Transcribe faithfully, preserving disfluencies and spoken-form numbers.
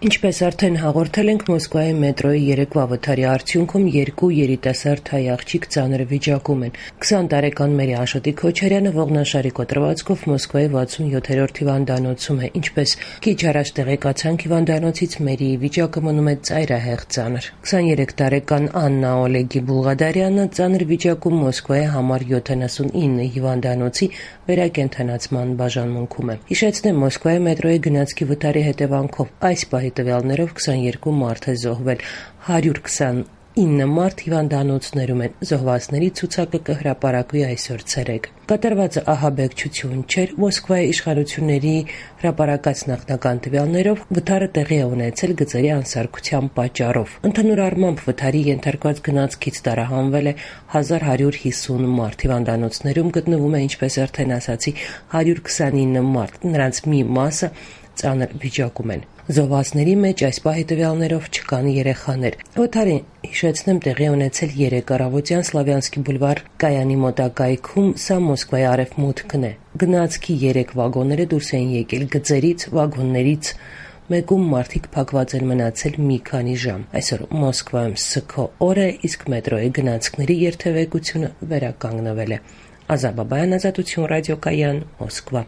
Ինչպես արդեն հաղորդել ենք, Մոսկվայի մետրոյի երեկվա վթարի արդյունքում երկու երիտասարդ հայ աղջիկ ծանր վիճակում են։ քսան տարեկան Մերի Աշոտի Քոչարյանը ողնաշարի կոտրվածքով Մոսկվայի վաթսունյոթերորդ հիվանդանոցում է։ Ինչպես քիչ առաջ տեղեկացանք, հիվանդանոցից Մերիի վիճակը մնում է ծայրահեղ ծանր։ քսաներեք տարեկան Աննա Օլեգի Բուլղադարյանը ծանր վիճակում Մոսկվայի համար յոթանասունինը հիվանդանոցի վերակենդանացման բաժանմունքում է։ Հիշեցնեմ, Մոսկվայի մետրոյի գնացքի վթարի հետևանքով այս պահի տվյալներով քսաներկու մարդ է զոհվել, հարյուր քսանինը մարդ հիվանդանոցներում են։ Զոհվածների ցուցակը կհրապարակվի այսօր ցերեկ։ Կատարվածը ահաբեկչություն չէր։ Մոսկվայի իշխանությունների հրապարակած նախնական տվյալներով վթարը տեղի է ունեցել գծերի անսարքության պատճառով։ Ընդհանուր առմամբ վթարի ենթարկված գնացքից տարահանվել է հազար հարյուր հիսուն մարդ։ Հիվանդանոցներում գտնվում է, ինչպես արդեն ասացի, հարյուր քսանինը մարդ։ Նրանց մի մասը ծանր վիճակում են։ Զոհվածների մեջ այս պահի տվյալներով չկան երեխաներ։ Վթարը, հիշեցնեմ, տեղի ունեցել երեկ առավոտյան Սլավյանսկի բուլվար Կայանի մոտակայքում, սա Մոսկվայի արևմուտքն է։ Գնացքի երեք վագոնները դուրս են եկել գծերից, վագոններից մեկում մարդիկ փակված են մնացել մի քանի ժամ։ Այսօր Մոսկվայում սգո օր է, իսկ մետրոյի գնացքների երթևեկությունը վերականգնվել է։ Ազա Բաբայան, Ազատություն ռադիոկայան, Մոսկվա։